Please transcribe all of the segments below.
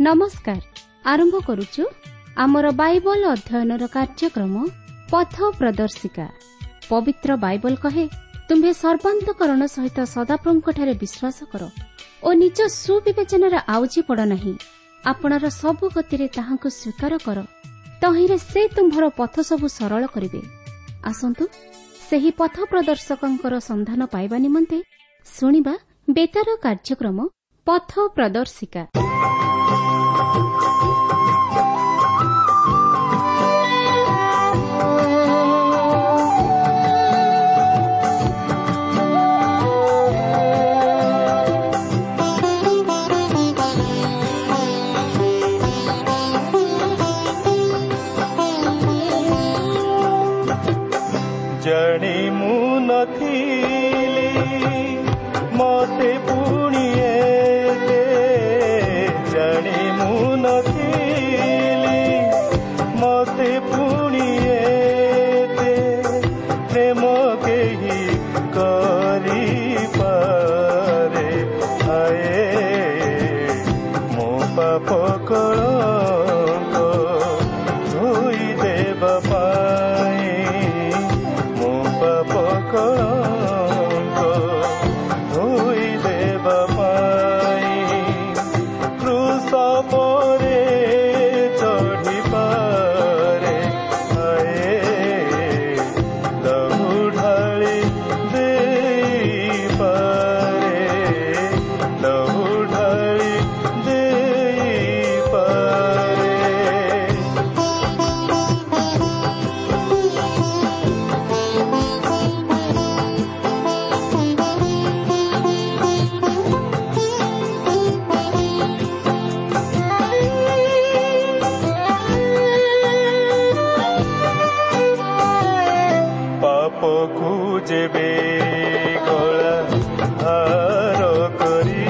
ନମସ୍କାର। ଆରମ୍ଭ କରୁଛୁ ଆମର ବାଇବଲ ଅଧ୍ୟୟନର କାର୍ଯ୍ୟକ୍ରମ ପଥ ପ୍ରଦର୍ଶିକା। ପବିତ୍ର ବାଇବଲ କହେ, ତୁମ୍ଭେ ସର୍ବାନ୍ତକରଣ ସହିତ ସଦାପ୍ରଭୁଙ୍କଠାରେ ବିଶ୍ୱାସ କର ଓ ନିଜ ସୁବିବେଚନାରେ ଆଉଜି ପଡ଼ ନାହିଁ। ଆପଣାର ସବୁ ଗତିରେ ତାହାଙ୍କୁ ସ୍ୱୀକାର କର, ତହିଁରେ ସେ ତୁମ୍ଭର ପଥ ସବୁ ସରଳ କରିବେ। ଆସନ୍ତୁ ସେହି ପଥ ପ୍ରଦର୍ଶକଙ୍କର ସନ୍ଧାନ ପାଇବା ନିମନ୍ତେ ଶୁଣିବା ବେତାର କାର୍ଯ୍ୟକ୍ରମ ପଥ ପ୍ରଦର୍ଶିକା। ଜାଣି ମୁଁ ନଥିଲି ମତେ ପୁଣି ଏତେ, ଜାଣି ମୁଁ ନଥିଲି ମତେ ପୁଣି ଏତେ ପ୍ରେମ କେହି କରିପାରେ। ହାଏ ମୋ ପାପ କଳଙ୍କ ଧୋଇ ଦେବା ପାଇଁ, ମୋ ପାପ କଳଙ୍କ ଧୋଇ ଦେବା ପାଇଁ କ୍ରୁଶ ପରେ ଚଢ଼ିପାରେ। ହାଏ ଲହୁ ଢାଳି ଦେଇପାରେ, ଲହୁ ଢାଳି ଦେଇପାରେ। ପାପକୁ ଯେବେ ଗଳା ଭାର କରି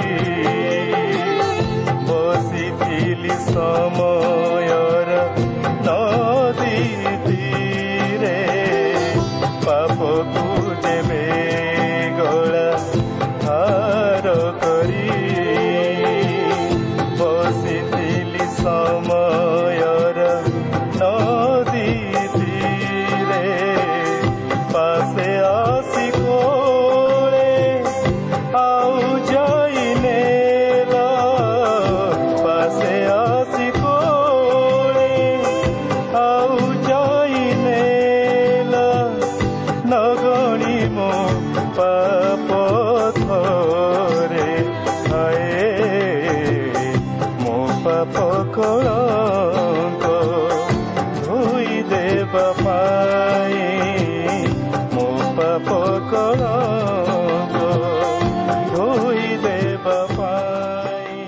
ବସିଥିଲି ସମୟର ନଦୀ ତୀରେ, ପାପକୁ ଯେବେ ଗଳା ଭାର କରି ବସିଥିଲି ସମୟର ନଦୀ ତୀରେ, ପାଶେ ଆସି କୋଳେ ଆଉ ଯାଇ ନେଲା, ପାଶେ ଆସି କୋଳେ ଆଉ ଯାଇ ନେଲା, ନଗଣି ମୋ ପାପ ଥରେ। ହାଏ ମୋ ପାପ କଳଙ୍କ ଧୋଇ ଦେବା ପାଇଁ, ମୋ ପାପ କଳଙ୍କ ଧୋଇ ଦେବା ପାଇଁ।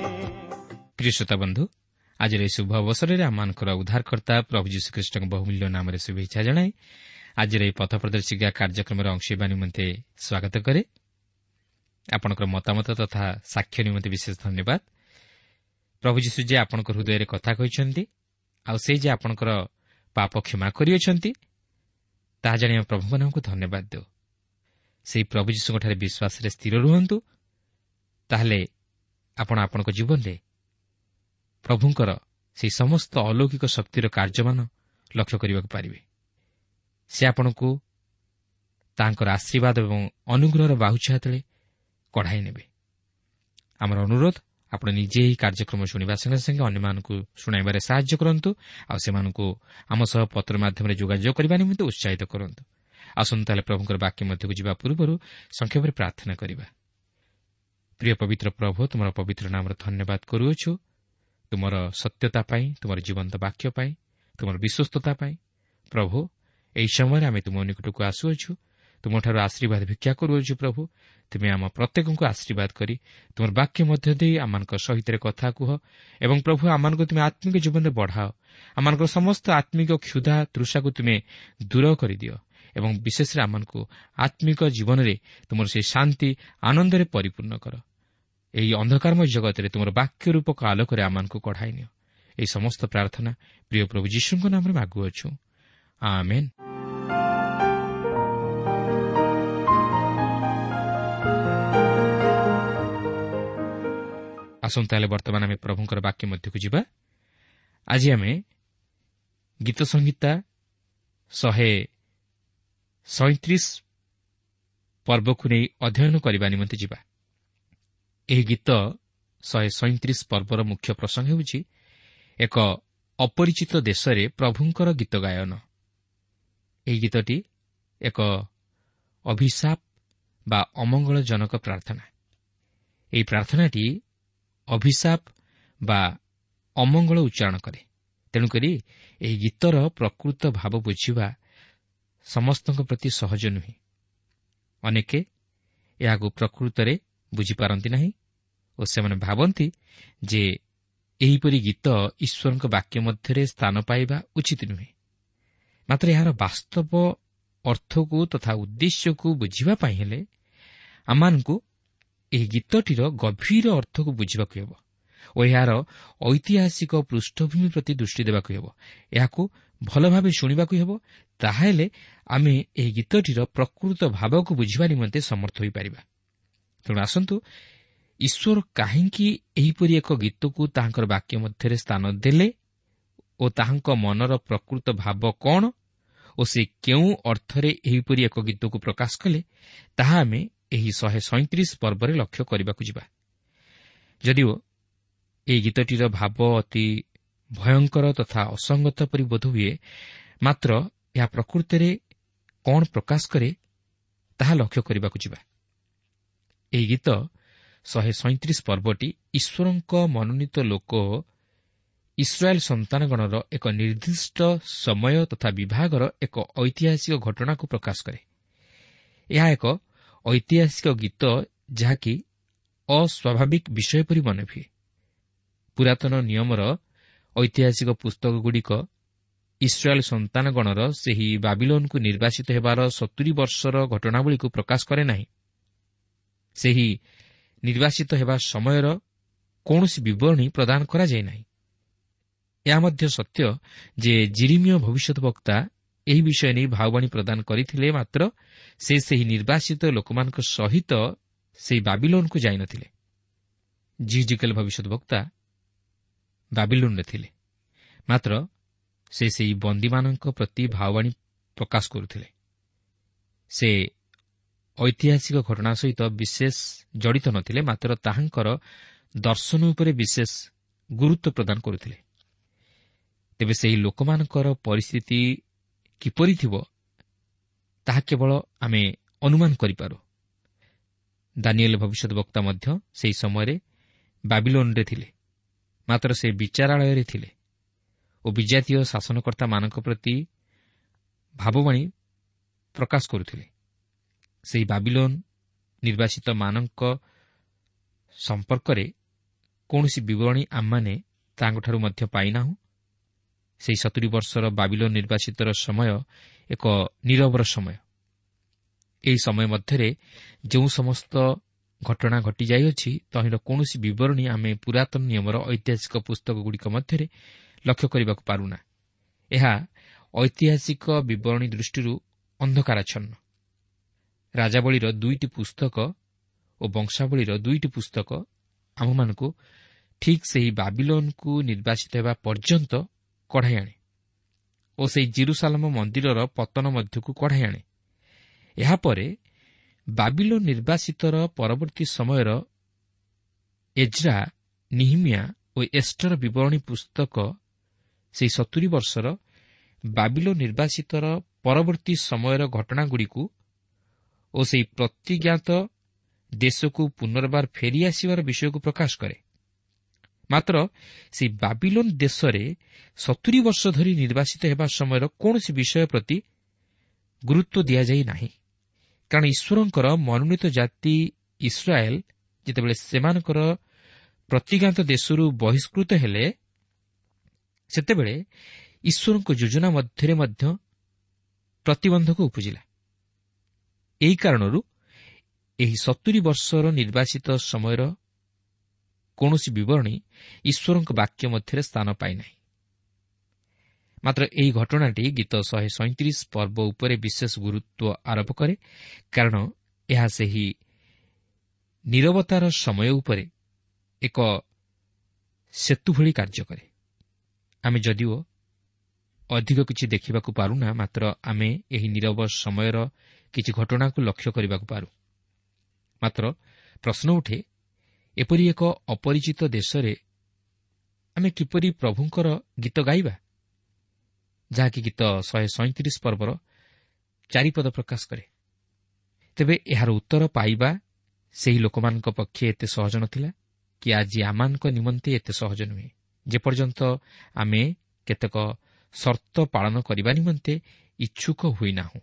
ପ୍ରିୟ ଶ୍ରୋତା ବନ୍ଧୁ, ଆଜିର ଏହି ଶୁଭ ଅବସରରେ ଆମମାନଙ୍କର ଉଦ୍ଧାରକର୍ତ୍ତା ପ୍ରଭୁ ଯୀଶୁଖ୍ରୀଷ୍ଟଙ୍କ ବହୁମୂଲ୍ୟ ନାମରେ ଶୁଭେଚ୍ଛା ଜଣାଇ ଆଜିର ଏହି ପଥ ପ୍ରଦର୍ଶିକା କାର୍ଯ୍ୟକ୍ରମରେ ଅଂଶ ହେବା ନିମନ୍ତେ ସ୍ୱାଗତ କରେ। ଆପଣଙ୍କର ମତାମତ ତଥା ସାକ୍ଷ୍ୟ ନିମନ୍ତେ ବିଶେଷ ଧନ୍ୟବାଦ। ପ୍ରଭୁ ଯୀଶୁ ଯେ ଆପଣଙ୍କ ହୃଦୟରେ କଥା କହିଛନ୍ତି ଆଉ ସେ ଯେ ଆପଣଙ୍କର ପାପ କ୍ଷମା କରିଅଛନ୍ତି, ତାହା ଜାଣି ଆମେ ପ୍ରଭୁଙ୍କ ନାମକୁ ଧନ୍ୟବାଦ ଦେଉ। ସେହି ପ୍ରଭୁ ଯୀଶୁଙ୍କଠାରେ ବିଶ୍ୱାସରେ ସ୍ଥିର ରୁହନ୍ତୁ, ତାହେଲେ ଆପଣ ଆପଣଙ୍କ ଜୀବନରେ ପ୍ରଭୁଙ୍କର ସେହି ସମସ୍ତ ଅଲୌକିକ ଶକ୍ତିର କାର୍ଯ୍ୟମାନ ଲକ୍ଷ୍ୟ କରିବାକୁ ପାରିବେ। ସେ ଆପଣଙ୍କୁ ତାଙ୍କର ଆଶୀର୍ବାଦ ଏବଂ ଅନୁଗ୍ରହର ବାହୁଛାୟା ତଳେ କଢ଼ାଇ ନେବେ। ଆମର ଅନୁରୋଧ, ଆପଣ ନିଜେ ଏହି କାର୍ଯ୍ୟକ୍ରମ ଶୁଣିବା ସଙ୍ଗେ ସଙ୍ଗେ ଅନ୍ୟମାନଙ୍କୁ ଶୁଣାଇବାରେ ସାହାଯ୍ୟ କରନ୍ତୁ ଆଉ ସେମାନଙ୍କୁ ଆମ ସହ ପତ୍ର ମାଧ୍ୟମରେ ଯୋଗାଯୋଗ କରିବା ନିମନ୍ତେ ଉତ୍ସାହିତ କରନ୍ତୁ। ଆସନ୍ତୁ ତାହେଲେ ପ୍ରଭୁଙ୍କର ବାକ୍ୟ ମଧ୍ୟକୁ ଯିବା ପୂର୍ବରୁ ସଂକ୍ଷେପରେ ପ୍ରାର୍ଥନା କରିବା। ପ୍ରିୟ ପବିତ୍ର ପ୍ରଭୁ, ତୁମର ପବିତ୍ର ନାମର ଧନ୍ୟବାଦ କରୁଅଛୁ ତୁମର ସତ୍ୟତା ପାଇଁ, ତୁମର ଜୀବନ୍ତ ବାକ୍ୟ ପାଇଁ, ତୁମର ବିଶ୍ୱସ୍ତତା ପାଇଁ। ପ୍ରଭୁ, ଏହି ସମୟରେ ଆମେ ତୁମ ନିକଟକୁ ଆସୁଅଛୁ, ତୁମଠାରୁ ଆଶୀର୍ବାଦ ଭିକ୍ଷା କରୁଅଛୁ। ପ୍ରଭୁ, ତୁମେ ଆମ ପ୍ରତ୍ୟେକଙ୍କୁ ଆଶୀର୍ବାଦ କରି ତୁମର ବାକ୍ୟ ମଧ୍ୟ ଦେଇ ଆମମାନଙ୍କ ସହିତ କଥା କୁହ ଏବଂ ପ୍ରଭୁ ଆମମାନଙ୍କୁ ତୁମେ ଆତ୍ମିକ ଜୀବନରେ ବଢ଼ାଅ। ଆମମାନଙ୍କର ସମସ୍ତ ଆତ୍ମିକ କ୍ଷୁଧା ତୃଷାକୁ ତୁମେ ଦୂର କରିଦିଅ ଏବଂ ବିଶେଷରେ ଆମମାନଙ୍କୁ ଆତ୍ମିକ ଜୀବନରେ ତୁମର ସେହି ଶାନ୍ତି ଆନନ୍ଦରେ ପରିପୂର୍ଣ୍ଣ କର। ଏହି ଅନ୍ଧକାରମୟ ଜଗତରେ ତୁମର ବାକ୍ୟ ରୂପକ ଆଲୋକରେ ଆମମାନଙ୍କୁ କଢ଼ାଇ ନିଅ। ଏହି ସମସ୍ତ ପ୍ରାର୍ଥନା ପ୍ରିୟ ପ୍ରଭୁ ଯୀଶୁଙ୍କ ନାମରେ ମାଗୁଅଛୁ, ଆମେନ୍। ଆସନ୍ତୁ ତାହେଲେ ବର୍ତ୍ତମାନ ଆମେ ପ୍ରଭୁଙ୍କର ବାକ୍ୟ ମଧ୍ୟକୁ ଯିବା। ଆଜି ଆମେ ଗୀତ ସଂହିତା 137 ପର୍ବକୁ ନେଇ ଅଧ୍ୟୟନ କରିବା ନିମନ୍ତେ ଯିବା। ଏହି ଗୀତ 137 ପର୍ବର ମୁଖ୍ୟ ପ୍ରସଙ୍ଗ ହେଉଛି ଏକ ଅପରିଚିତ ଦେଶରେ ପ୍ରଭୁଙ୍କର ଗୀତ ଗାୟନ। ଏହି ଗୀତଟି ଏକ ଅଭିଶାପ ବା ଅମଙ୍ଗଳଜନକ ପ୍ରାର୍ଥନା। ଏହି ପ୍ରାର୍ଥନାଟି ଅଭିଶାପ ବା ଅମଙ୍ଗଳ ଉଚ୍ଚାରଣ କରେ। ତେଣୁକରି ଏହି ଗୀତର ପ୍ରକୃତ ଭାବ ବୁଝିବା ସମସ୍ତଙ୍କ ପ୍ରତି ସହଜ ନୁହେଁ। ଅନେକେ ଏହାକୁ ପ୍ରକୃତରେ ବୁଝିପାରନ୍ତି ନାହିଁ ଓ ସେମାନେ ଭାବନ୍ତି ଯେ ଏହିପରି ଗୀତ ଈଶ୍ୱରଙ୍କ ବାକ୍ୟ ମଧ୍ୟରେ ସ୍ଥାନ ପାଇବା ଉଚିତ ନୁହେଁ। ମାତ୍ର ଏହାର ବାସ୍ତବ ଅର୍ଥକୁ ତଥା ଉଦ୍ଦେଶ୍ୟକୁ ବୁଝିବା ପାଇଁ ହେଲେ ଆମମାନଙ୍କୁ ଏହି ଗୀତଟିର ଗଭୀର ଅର୍ଥକୁ ବୁଝିବାକୁ ହେବ ଓ ଏହାର ଐତିହାସିକ ପୃଷ୍ଠଭୂମି ପ୍ରତି ଦୃଷ୍ଟି ଦେବାକୁ ହେବ। ଏହାକୁ ଭଲ ଭାବେ ଶୁଣିବାକୁ ହେବ, ତାହେଲେ ଆମେ ଏହି ଗୀତଟିର ପ୍ରକୃତ ଭାବକୁ ବୁଝିବା ନିମନ୍ତେ ସମର୍ଥ ହୋଇପାରିବା। ତେଣୁ ଆସନ୍ତୁ ଈଶ୍ୱର କାହିଁକି ଏହିପରି ଏକ ଗୀତକୁ ତାହାଙ୍କର ବାକ୍ୟ ମଧ୍ୟରେ ସ୍ଥାନ ଦେଲେ ଓ ତାହାଙ୍କ ମନର ପ୍ରକୃତ ଭାବ କ'ଣ ଓ ସେ କେଉଁ ଅର୍ଥରେ ଏହିପରି ଏକ ଗୀତକୁ ପ୍ରକାଶ କଲେ, ତାହା ଆମେ ଏହି 137 ପର୍ବରେ ଲକ୍ଷ୍ୟ କରିବାକୁ ଯିବା। ଯଦିଓ ଏହି ଗୀତଟିର ଭାବ ଅତି ଭୟଙ୍କର ତଥା ଅସଙ୍ଗତ ପରି ବୋଧ ହୁଏ, ମାତ୍ର ଏହା ପ୍ରକୃତରେ କ'ଣ ପ୍ରକାଶ କରେ ତାହା ଲକ୍ଷ୍ୟ କରିବାକୁ ଯିବା। ଏହି ଗୀତ 137 ପର୍ବଟି ଈଶ୍ୱରଙ୍କ ମନୋନୀତ ଲୋକ ଇସ୍ରାଏଲ୍ ସନ୍ତାନଗଣର ଏକ ନିର୍ଦ୍ଦିଷ୍ଟ ସମୟ ତଥା ବିଭାଗର ଏକ ଐତିହାସିକ ଘଟଣାକୁ ପ୍ରକାଶ କରେ। ଏହା ଏକ ଐତିହାସିକ ଗୀତ ଯାହାକି ଅସ୍ୱାଭାବିକ ବିଷୟ ପରି ମନେହୁଏ। ପୁରାତନ ନିୟମର ଐତିହାସିକ ପୁସ୍ତକଗୁଡ଼ିକ ଇସ୍ରାଏଲ୍ ସନ୍ତାନଗଣର ସେହି ବାବିଲୋନକୁ ନିର୍ବାସିତ ହେବାର 70 ବର୍ଷର ଘଟଣାବଳୀକୁ ପ୍ରକାଶ କରେ ନାହିଁ। ସେହି ନିର୍ବାସିତ ହେବା ସମୟର କୌଣସି ବିବରଣୀ ପ୍ରଦାନ କରାଯାଇ ନାହିଁ। ଏହା ମଧ୍ୟ ସତ୍ୟ ଯେ ଜିରିମିୟ ଭବିଷ୍ୟତ ବକ୍ତା ଏହି ବିଷୟ ନେଇ ଭାବବାଣୀ ପ୍ରଦାନ କରିଥିଲେ, ମାତ୍ର ସେ ସେହି ନିର୍ବାସିତ ଲୋକମାନଙ୍କ ସହିତ ସେହି ବାବିଲୋନକୁ ଯାଇନଥିଲେ। ଯିହିଜିକେଲ ଭବିଷ୍ୟତ ବକ୍ତା ବାବିଲୋନରେ ଥିଲେ, ମାତ୍ର ସେ ସେହି ବନ୍ଦୀମାନଙ୍କ ପ୍ରତି ଭାବବାଣୀ ପ୍ରକାଶ କରୁଥିଲେ। ସେ ଐତିହାସିକ ଘଟଣା ସହିତ ବିଶେଷ ଜଡ଼ିତ ନଥିଲେ, ମାତ୍ର ତାହାଙ୍କର ଦର୍ଶନ ଉପରେ ବିଶେଷ ଗୁରୁତ୍ୱ ପ୍ରଦାନ କରୁଥିଲେ। ତେବେ ସେହି ଲୋକମାନଙ୍କର ପରିସ୍ଥିତି କିପରି ଥିବ ତାହା କେବଳ ଆମେ ଅନୁମାନ କରିପାରୁ। ଦାନିଏଲ ଭବିଷ୍ୟତ ବକ୍ତା ମଧ୍ୟ ସେହି ସମୟରେ ବାବିଲୋନରେ ଥିଲେ, ମାତ୍ର ସେ ବିଚାରାଳୟରେ ଥିଲେ ଓ ବିଜାତୀୟ ଶାସନକର୍ତ୍ତାମାନଙ୍କ ପ୍ରତି ଭାବବାଣୀ ପ୍ରକାଶ କରୁଥିଲେ। ସେହି ବାବିଲୋନ ନିର୍ବାସିତମାନଙ୍କ ସମ୍ପର୍କରେ କୌଣସି ବିବରଣୀ ଆମମାନେ ତାଙ୍କଠାରୁ ମଧ୍ୟ ପାଇନାହୁଁ। ସେହି 70 ବର୍ଷର ବାବିଲୋନ ନିର୍ବାସିତର ସମୟ ଏକ ନିରବର ସମୟ। ଏହି ସମୟ ମଧ୍ୟରେ ଯେଉଁ ସମସ୍ତ ଘଟଣା ଘଟିଯାଇଅଛି ତହିଁର କୌଣସି ବିବରଣୀ ଆମେ ପୁରାତନ ନିୟମର ଐତିହାସିକ ପୁସ୍ତକଗୁଡ଼ିକ ମଧ୍ୟରେ ଲକ୍ଷ୍ୟ କରିବାକୁ ପାରୁନା। ଏହା ଐତିହାସିକ ବିବରଣୀ ଦୃଷ୍ଟିରୁ ଅନ୍ଧକାରାଚ୍ଛନ୍ନ। ରାଜାବଳୀର 2ଟି ପୁସ୍ତକ ଓ ବଂଶାବଳୀର 2ଟି ପୁସ୍ତକ ଆମମାନଙ୍କୁ ଠିକ୍ ସେହି ବାବିଲୋନକୁ ନିର୍ବାସିତ ହେବା ପର୍ଯ୍ୟନ୍ତ କଢ଼ାଇ ଆଣେ ଓ ସେହି ଜିରୁସାଲମ ମନ୍ଦିରର ପତନ ମଧ୍ୟକୁ କଢ଼ାଇ ଆଣେ। ଏହାପରେ ବାବିଲୋନ ନିର୍ବାସିତର ପରବର୍ତ୍ତୀ ସମୟର ଏଜ୍ରା, ନିହିମିଆ ଓ ଏଷ୍ଟର ବିବରଣୀ ପୁସ୍ତକ ସେହି 70 ବର୍ଷର ବାବିଲୋନ ନିର୍ବାସିତର ପରବର୍ତ୍ତୀ ସମୟର ଘଟଣାଗୁଡ଼ିକୁ ଓ ସେହି ପ୍ରତିଜ୍ଞାତ ଦେଶକୁ ପୁନର୍ବାର ଫେରିଆସିବାର ବିଷୟକୁ ପ୍ରକାଶ କରେ। ମାତ୍ର ସେହି ବାବିଲୋନ ଦେଶରେ 70 ବର୍ଷ ଧରି ନିର୍ବାସିତ ହେବା ସମୟର କୌଣସି ବିଷୟ ପ୍ରତି ଗୁରୁତ୍ୱ ଦିଆଯାଇ ନାହିଁ, କାରଣ ଈଶ୍ୱରଙ୍କର ମନୋନୀତ ଜାତି ଇସ୍ରାଏଲ୍ ଯେତେବେଳେ ସେମାନଙ୍କର ପ୍ରତିଜ୍ଞାତ ଦେଶରୁ ବହିଷ୍କୃତ ହେଲେ, ସେତେବେଳେ ଈଶ୍ୱରଙ୍କ ଯୋଜନା ମଧ୍ୟରେ ମଧ୍ୟ ପ୍ରତିବନ୍ଧକ ଉପୁଜିଲା। ଏହି କାରଣରୁ ଏହି 70 ବର୍ଷର ନିର୍ବାସିତ ସମୟର କୌଣସି ବିବରଣୀ ଈଶ୍ୱରଙ୍କ ବାକ୍ୟ ମଧ୍ୟରେ ସ୍ଥାନ ପାଇନାହିଁ। ମାତ୍ର ଏହି ଘଟଣାଟି ଗୀତ 137 ପର୍ବ ଉପରେ ବିଶେଷ ଗୁରୁତ୍ୱ ଆରୋପ କରେ, କାରଣ ଏହା ସେହି ନିରବତାର ସମୟ ଉପରେ ଏକ ସେତୁ ଭଳି କାର୍ଯ୍ୟ କରେ। ଆମେ ଯଦିଓ ଅଧିକ କିଛି ଦେଖିବାକୁ ପାରୁନା, ମାତ୍ର ଆମେ ଏହି ନିରବ ସମୟର କିଛି ଘଟଣାକୁ ଲକ୍ଷ୍ୟ କରିବାକୁ ପାରୁ। ମାତ୍ର ପ୍ରଶ୍ନ ଉଠେ, ଏପରି ଏକ ଅପରିଚିତ ଦେଶରେ ଆମେ କିପରି ପ୍ରଭୁଙ୍କର ଗୀତ ଗାଇବା, ଯାହାକି ଗୀତ 137 ପର୍ବର 4 ପଦ ପ୍ରକାଶ କରେ। ତେବେ ଏହାର ଉତ୍ତର ପାଇବା ସେହି ଲୋକମାନଙ୍କ ପକ୍ଷେ ଏତେ ସହଜ ନଥିଲା କି ଆଜି ଆମମାନଙ୍କ ନିମନ୍ତେ ଏତେ ସହଜ ନୁହେଁ, ଯେପର୍ଯ୍ୟନ୍ତ ଆମେ କେତେକ ସର୍ତ୍ତ ପାଳନ କରିବା ନିମନ୍ତେ ଇଚ୍ଛୁକ ହୋଇନାହୁଁ।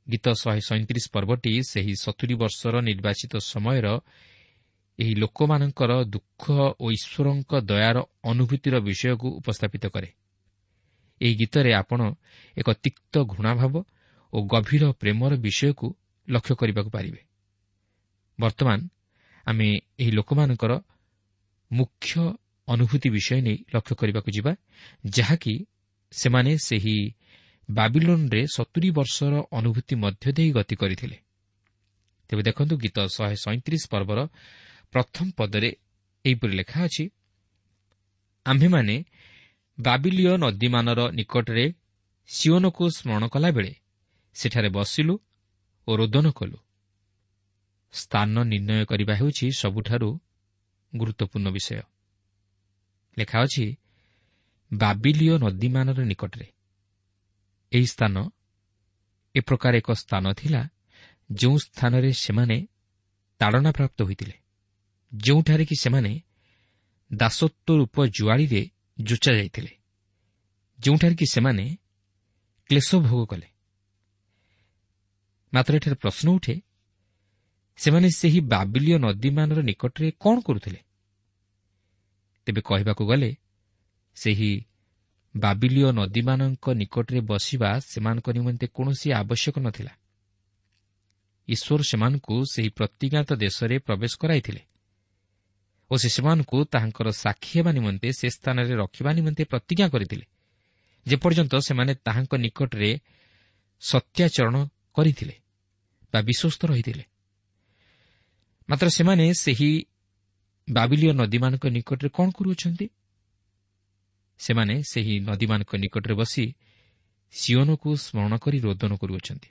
ଗୀତ 137 ପର୍ବଟି ସେହି 70 ବର୍ଷର ନିର୍ବାଚିତ ସମୟର ଏହି ଲୋକମାନଙ୍କର ଦୁଃଖ ଓ ଈଶ୍ୱରଙ୍କ ଦୟାର ଅନୁଭୂତିର ବିଷୟକୁ ଉପସ୍ଥାପିତ କରେ। ଏହି ଗୀତରେ ଆପଣ ଏକ ତିକ୍ତ ଘୃଣାଭାବ ଓ ଗଭୀର ପ୍ରେମର ବିଷୟକୁ ଲକ୍ଷ୍ୟ କରିବାକୁ ପାରିବେ। ବର୍ତ୍ତମାନ ଆମେ ଏହି ଲୋକମାନଙ୍କର ମୁଖ୍ୟ ଅନୁଭୂତି ବିଷୟ ନେଇ ଲକ୍ଷ୍ୟ କରିବାକୁ ଯିବା, ଯାହାକି ସେମାନେ ସେହି ବାବିଲୋନରେ 70 ବର୍ଷର ଅନୁଭୂତି ମଧ୍ୟ ଦେଇ ଗତି କରିଥିଲେ। ତେବେ ଦେଖନ୍ତୁ, ଗୀତ 137 ପର୍ବର ପ୍ରଥମ ପଦରେ ଏହିପରି ଲେଖା ଅଛି, ଆମ୍ଭେମାନେ ବାବିଲୀୟ ନଦୀମାନର ନିକଟରେ ସିଓନକୁ ସ୍ମରଣ କଲାବେଳେ ସେଠାରେ ବସିଲୁ ଓ ରୋଦନ କଲୁ। ସ୍ଥାନ ନିର୍ଣ୍ଣୟ କରିବା ହେଉଛି ସବୁଠାରୁ ଗୁରୁତ୍ୱପୂର୍ଣ୍ଣ ବିଷୟ। ଲେଖା ଅଛି ବାବିଲୀୟ ନଦୀମାନର ନିକଟରେ। ଏହି ସ୍ଥାନ ଏ ପ୍ରକାର ଏକ ସ୍ଥାନ ଥିଲା ଯେଉଁ ସ୍ଥାନରେ ସେମାନେ ତାଡ଼ନା ପ୍ରାପ୍ତ ହୋଇଥିଲେ, ଯେଉଁଠାରେ କି ସେମାନେ ଦାସତ୍ୱ ରୂପ ଜୁଆଳିରେ ଯୋଚା ଯାଇଥିଲେ, ଯେଉଁଠାରେ କି ସେମାନେ କ୍ଲେଶ ଭୋଗ କଲେ। ମାତ୍ର ଏଠାରେ ପ୍ରଶ୍ନ ଉଠେ, ସେମାନେ ସେହି ବାବିଲୀୟ ନଦୀମାନର ନିକଟରେ କ'ଣ କରୁଥିଲେ? ତେବେ କହିବାକୁ ଗଲେ ସେହି ବାବିଲୀୟ ନଦୀମାନଙ୍କ ନିକଟରେ ବସିବା ସେମାନଙ୍କ ନିମନ୍ତେ କୌଣସି ଆବଶ୍ୟକ ନଥିଲା। ଈଶ୍ୱର ସେମାନଙ୍କୁ ସେହି ପ୍ରତିଜ୍ଞାତ ଦେଶରେ ପ୍ରବେଶ କରାଇଥିଲେ ଓ ସେ ସେମାନଙ୍କୁ ତାହାଙ୍କର ସାକ୍ଷୀ ହେବା ନିମନ୍ତେ ସେ ସ୍ଥାନରେ ରଖିବା ନିମନ୍ତେ ପ୍ରତିଜ୍ଞା କରିଥିଲେ, ଯେପର୍ଯ୍ୟନ୍ତ ସେମାନେ ତାହାଙ୍କ ନିକଟରେ ସତ୍ୟାଚରଣ କରିଥିଲେ ବା ବିଶ୍ୱସ୍ତ ରହିଥିଲେ। ମାତ୍ର ସେମାନେ ସେହି ବାବିଲୀୟ ନଦୀମାନଙ୍କ ନିକଟରେ କ'ଣ କରୁଅଛନ୍ତି? ସେମାନେ ସେହି ନଦୀମାନଙ୍କ ନିକଟରେ ବସି ସିଓନକୁ ସ୍ମରଣ କରି ରୋଦନ କରୁଅଛନ୍ତି,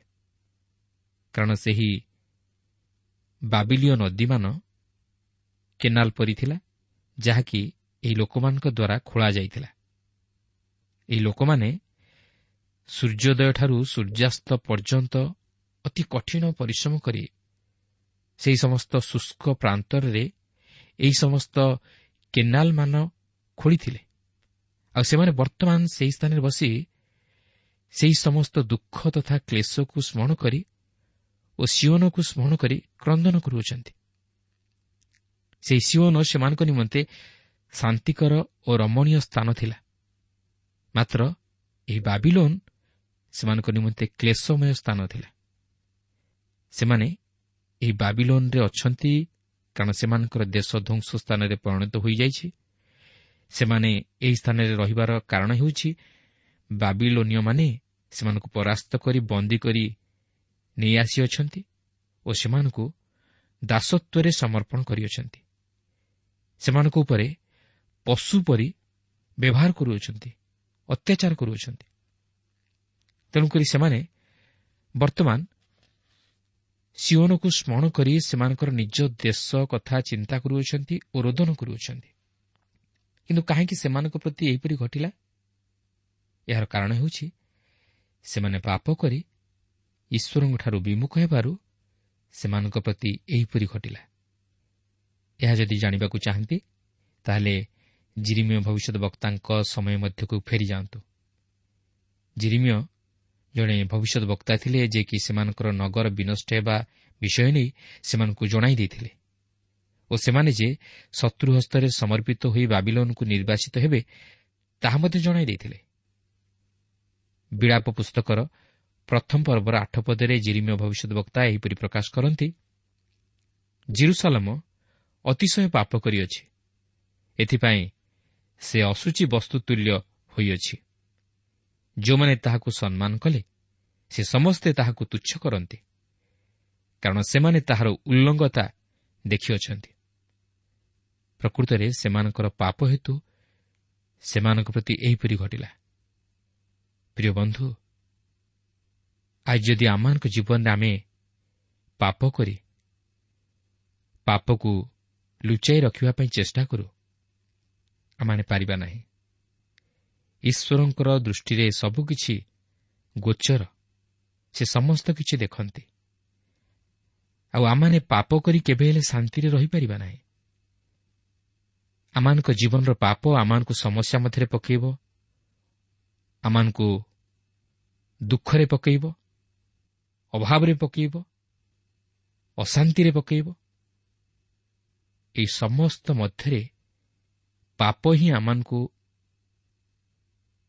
କାରଣ ସେହି ବାବିଲୀୟ ନଦୀମାନ କେନାଲ ପରି ଥିଲା, ଯାହାକି ଏହି ଲୋକମାନଙ୍କ ଦ୍ୱାରା ଖୋଳା ଯାଇଥିଲା। ଏହି ଲୋକମାନେ ସୂର୍ଯ୍ୟୋଦୟଠାରୁ ସୂର୍ଯ୍ୟାସ୍ତ ପର୍ଯ୍ୟନ୍ତ ଅତି କଠିନ ପରିଶ୍ରମ କରି ସେହି ସମସ୍ତ ଶୁଷ୍କ ପ୍ରାନ୍ତରରେ ଏହି ସମସ୍ତ କେନାଲମାନ ଖୋଳିଥିଲେ। ଆଉ ସେମାନେ ବର୍ତ୍ତମାନ ସେହି ସ୍ଥାନରେ ବସି ସେହି ସମସ୍ତ ଦୁଃଖ ତଥା କ୍ଲେଶକୁ ସ୍ମରଣ କରି ଓ ସିଓନକୁ ସ୍ମରଣ କରି କ୍ରନ୍ଦନ କରୁଅଛନ୍ତି। ସେହି ସିଓନ ସେମାନଙ୍କ ନିମନ୍ତେ ଶାନ୍ତିକର ଓ ରମଣୀୟ ସ୍ଥାନ ଥିଲା, ମାତ୍ର ଏହି ବାବିଲୋନ ସେମାନଙ୍କ ନିମନ୍ତେ କ୍ଲେଶମୟ ସ୍ଥାନ ଥିଲା। ସେମାନେ ଏହି ବାବିଲୋନରେ ଅଛନ୍ତି କାରଣ ସେମାନଙ୍କର ଦେଶ ଧ୍ୱଂସ ସ୍ଥାନରେ ପରିଣତ ହୋଇଯାଇଛି। ସେମାନେ ଏହି ସ୍ଥାନରେ ରହିବାର କାରଣ ହେଉଛି ବାବିଲୋନୀୟମାନେ ସେମାନଙ୍କୁ ପରାସ୍ତ କରି ବନ୍ଦୀ କରି ନେଇ ଆସିଅଛନ୍ତି ଓ ସେମାନଙ୍କୁ ଦାସତ୍ୱରେ ସମର୍ପଣ କରିଅଛନ୍ତି। ସେମାନଙ୍କ ଉପରେ ପଶୁ ପରି ବ୍ୟବହାର କରୁଅଛନ୍ତି, ଅତ୍ୟାଚାର କରୁଅଛନ୍ତି। ତେଣୁକରି ସେମାନେ ବର୍ତ୍ତମାନ ସିଓନକୁ ସ୍ମରଣ କରି ସେମାନଙ୍କର ନିଜ ଦେଶ କଥା ଚିନ୍ତା କରୁଅଛନ୍ତି ଓ ରୋଦନ କରୁଅଛନ୍ତି। କିନ୍ତୁ କାହିଁକି ସେମାନଙ୍କ ପ୍ରତି ଏହିପରି ଘଟିଲା? ଏହାର କାରଣ ହେଉଛି ସେମାନେ ପାପ କରି ଈଶ୍ୱରଙ୍କଠାରୁ ବିମୁଖ ହେବାରୁ ସେମାନଙ୍କ ପ୍ରତି ଏହିପରି ଘଟିଲା। ଏହା ଯଦି ଜାଣିବାକୁ ଚାହାନ୍ତି ତାହେଲେ ଜିରିମିୟ ଭବିଷ୍ୟତ ବକ୍ତାଙ୍କ ସମୟ ମଧ୍ୟକୁ ଫେରିଯାଆନ୍ତୁ। ଜିରିମିୟ ଜଣେ ଭବିଷ୍ୟତ ବକ୍ତା ଥିଲେ, ଯିଏକି ସେମାନଙ୍କର ନଗର ବିନଷ୍ଟ ହେବା ବିଷୟ ନେଇ ସେମାନଙ୍କୁ ଜଣାଇ ଦେଇଥିଲେ ଓ ସେମାନେ ଯେ ଶତ୍ରୁ ହସ୍ତରେ ସମର୍ପିତ ହୋଇ ବାବିଲୋନକୁ ନିର୍ବାସିତ ହେବେ ତାହା ମଧ୍ୟ ଜଣାଇ ଦେଇଥିଲେ। ବିଳାପ ପୁସ୍ତକର ପ୍ରଥମ ପର୍ବର 8 ପଦରେ ଜିରିମିୟ ଭବିଷ୍ୟତ ବକ୍ତା ଏହିପରି ପ୍ରକାଶ କରନ୍ତି, ଜିରୁସାଲମ ଅତିଶୟ ପାପ କରିଅଛି, ଏଥିପାଇଁ ସେ ଅଶୁଚି ବସ୍ତୁ ତୁଲ୍ୟ ହୋଇଅଛି। ଯେଉଁମାନେ ତାହାକୁ ସମ୍ମାନ କଲେ ସେ ସମସ୍ତେ ତାହାକୁ ତୁଚ୍ଛ କରନ୍ତି, କାରଣ ସେମାନେ ତାହାର ଉଲ୍ଲଙ୍ଗତା ଦେଖିଅଛନ୍ତି। ପ୍ରକୃତରେ ସେମାନଙ୍କର ପାପ ହେତୁ ସେମାନଙ୍କ ପ୍ରତି ଏହିପରି ଘଟିଲା। ପ୍ରିୟ ବନ୍ଧୁ, ଆଜି ଯଦି ଆମମାନଙ୍କ ଜୀବନରେ ଆମେ ପାପ କରି ପାପକୁ ଲୁଚାଇ ରଖିବା ପାଇଁ ଚେଷ୍ଟା କରୁ, ଆମମାନେ ପାରିବା ନାହିଁ। ଈଶ୍ୱରଙ୍କର ଦୃଷ୍ଟିରେ ସବୁକିଛି ଗୋଚର, ସେ ସମସ୍ତ କିଛି ଦେଖନ୍ତି। ଆଉ ଆମମାନେ ପାପ କରି କେବେ ହେଲେ ଶାନ୍ତିରେ ରହିପାରିବା ନାହିଁ। ଆମମାନଙ୍କ ଜୀବନର ପାପ ଆମମାନଙ୍କୁ ସମସ୍ୟା ମଧ୍ୟରେ ପକାଇବ, ଆମମାନଙ୍କୁ ଦୁଃଖରେ ପକାଇବ, ଅଭାବରେ ପକାଇବ, ଅଶାନ୍ତିରେ ପକାଇବ। ଏହି ସମସ୍ତ ମଧ୍ୟରେ ପାପ ହିଁ ଆମମାନଙ୍କୁ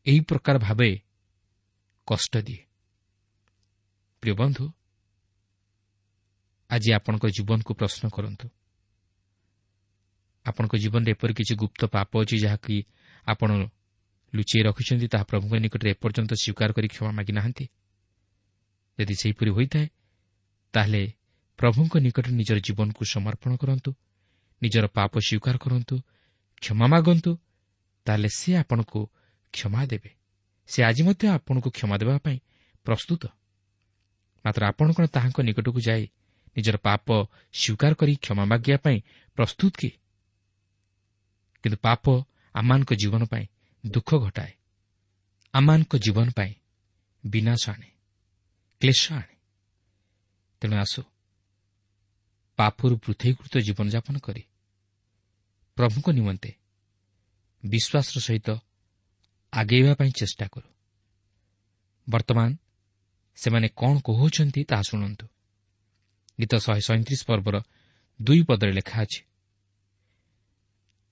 ଏହି ପ୍ରକାର ଭାବେ କଷ୍ଟ ଦିଏ। ପ୍ରିୟ ବନ୍ଧୁ, ଆଜି ଆପଣଙ୍କ ଜୀବନକୁ ପ୍ରଶ୍ନ କରନ୍ତୁ। ଆପଣଙ୍କ ଜୀବନରେ ଏପରି କିଛି ଗୁପ୍ତ ପାପ ଅଛି ଯାହାକି ଆପଣ ଲୁଚେଇ ରଖିଛନ୍ତି, ତାହା ପ୍ରଭୁଙ୍କ ନିକଟରେ ଏପର୍ଯ୍ୟନ୍ତ ସ୍ୱୀକାର କରି କ୍ଷମା ମାଗିନାହାନ୍ତି? ଯଦି ସେହିପରି ହୋଇଥାଏ, ତାହେଲେ ପ୍ରଭୁଙ୍କ ନିକଟରେ ନିଜର ଜୀବନକୁ ସମର୍ପଣ କରନ୍ତୁ, ନିଜର ପାପ ସ୍ୱୀକାର କରନ୍ତୁ, କ୍ଷମା ମାଗନ୍ତୁ, ତାହେଲେ ସେ ଆପଣଙ୍କୁ କ୍ଷମା ଦେବେ। ସେ ଆଜି ମଧ୍ୟ ଆପଣଙ୍କୁ କ୍ଷମା ଦେବା ପାଇଁ ପ୍ରସ୍ତୁତ। ମାତ୍ର ଆପଣ କ'ଣ ତାହାଙ୍କ ନିକଟକୁ ଯାଇ ନିଜର ପାପ ସ୍ୱୀକାର କରି କ୍ଷମା ମାଗିବା ପାଇଁ ପ୍ରସ୍ତୁତ କି? କିନ୍ତୁ ପାପ ଆମମାନଙ୍କ ଜୀବନ ପାଇଁ ଦୁଃଖ ଘଟାଏ, ଆମମାନଙ୍କ ଜୀବନ ପାଇଁ ବିନାଶ ଆଣେ, କ୍ଲେଶ ଆଣେ। ତେଣୁ ଆସୁ ପାପରୁ ପୃଥକୀକୃତ ଜୀବନଯାପନ କରି ପ୍ରଭୁଙ୍କ ନିମନ୍ତେ ବିଶ୍ୱାସର ସହିତ ଆଗେଇବା ପାଇଁ ଚେଷ୍ଟା କରୁ। ବର୍ତ୍ତମାନ ସେମାନେ କ'ଣ କହୁଛନ୍ତି ତାହା ଶୁଣନ୍ତୁ। ଗୀତ 137 ପର୍ବର 2 ପଦରେ ଲେଖା ଅଛି,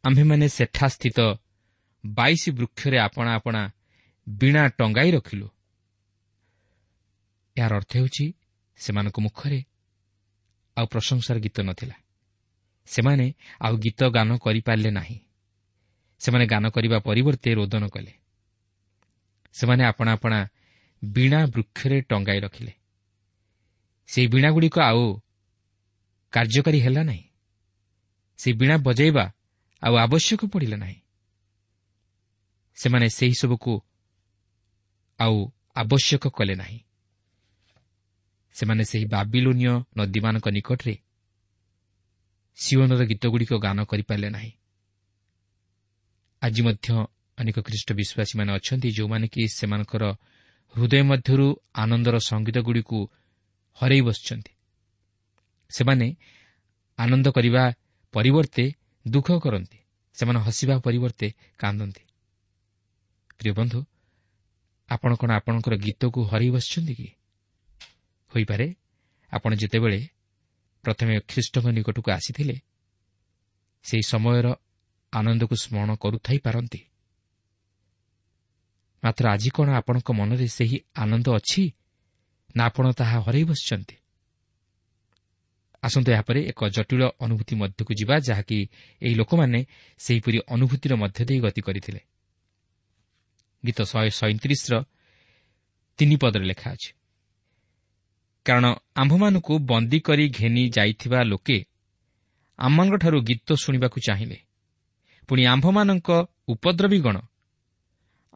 ଆମ୍ଭେମାନେ ସେଠାସ୍ଥିତ 22 ବୃକ୍ଷରେ ଆପଣା ଆପଣା ବୀଣା ଟଙ୍ଗାଇ ରଖିଲୁ। ଏହାର ଅର୍ଥ ହେଉଛି ସେମାନଙ୍କ ମୁଖରେ ଆଉ ପ୍ରଶଂସାର ଗୀତ ନଥିଲା। ସେମାନେ ଆଉ ଗୀତ ଗାନ କରିପାରିଲେ ନାହିଁ। ସେମାନେ ଗାନ କରିବା ପରିବର୍ତ୍ତେ ରୋଦନ କଲେ। ସେମାନେ ଆପଣା ଆପଣା ବୀଣା ବୃକ୍ଷରେ ଟଙ୍ଗାଇ ରଖିଲେ। ସେହି ବୀଣାଗୁଡ଼ିକ ଆଉ କାର୍ଯ୍ୟକାରୀ ହେଲା ନାହିଁ। ସେହି ବୀଣା ବଜାଇବା ଆଉ ଆବଶ୍ୟକ ପଡ଼ିଲା ନାହିଁ। ସେମାନେ ସେହି ସବୁକୁ ଆଉ ଆବଶ୍ୟକ କଲେ ନାହିଁ। ସେମାନେ ସେହି ବାବିଲୋନୀୟ ନଦୀମାନଙ୍କ ନିକଟରେ ସିଓନର ଗୀତଗୁଡ଼ିକ ଗାନ କରିପାରିଲେ ନାହିଁ। ଆଜି ମଧ୍ୟ ଅନେକ ଖ୍ରୀଷ୍ଟ ବିଶ୍ୱାସୀମାନେ ଅଛନ୍ତି ଯେଉଁମାନେ କି ସେମାନଙ୍କର ହୃଦୟ ମଧ୍ୟରୁ ଆନନ୍ଦର ସଙ୍ଗୀତଗୁଡ଼ିକୁ ହରାଇ ବସିଛନ୍ତି। ସେମାନେ ଆନନ୍ଦ କରିବା ପରିବର୍ତ୍ତେ ଦୁଃଖ କରନ୍ତି। ସେମାନେ ହସିବା ପରିବର୍ତ୍ତେ କାନ୍ଦନ୍ତି। ପ୍ରିୟ ବନ୍ଧୁ, ଆପଣ କ'ଣ ଆପଣଙ୍କର ଗୀତକୁ ହରାଇ ବସିଛନ୍ତି କି? ହୋଇପାରେ ଆପଣ ଯେତେବେଳେ ପ୍ରଥମେ ଖ୍ରୀଷ୍ଟଙ୍କ ନିକଟକୁ ଆସିଥିଲେ ସେହି ସମୟର ଆନନ୍ଦକୁ ସ୍ମରଣ କରୁଥାଇପାରନ୍ତି। ମାତ୍ର ଆଜି କ'ଣ ଆପଣଙ୍କ ମନରେ ସେହି ଆନନ୍ଦ ଅଛି ନା ଆପଣ ତାହା ହରାଇ ବସିଛନ୍ତି? ଆସନ୍ତୁ ଏହାପରେ ଏକ ଜଟିଳ ଅନୁଭୂତି ମଧ୍ୟକୁ ଯିବା, ଯାହାକି ଏହି ଲୋକମାନେ ସେହିପରି ଅନୁଭୂତିର ମଧ୍ୟ ଦେଇ ଗତି କରିଥିଲେ। ଗୀତ 137ର 3 ପଦରେ ଲେଖା ଅଛି, କାରଣ ଆମ୍ଭମାନଙ୍କୁ ବନ୍ଦୀ କରି ଘେନି ଯାଇଥିବା ଲୋକେ ଆମମାନଙ୍କଠାରୁ ଗୀତ ଶୁଣିବାକୁ ଚାହିଁଲେ, ପୁଣି ଆମ୍ଭମାନଙ୍କ ଉପଦ୍ରବୀଗଣ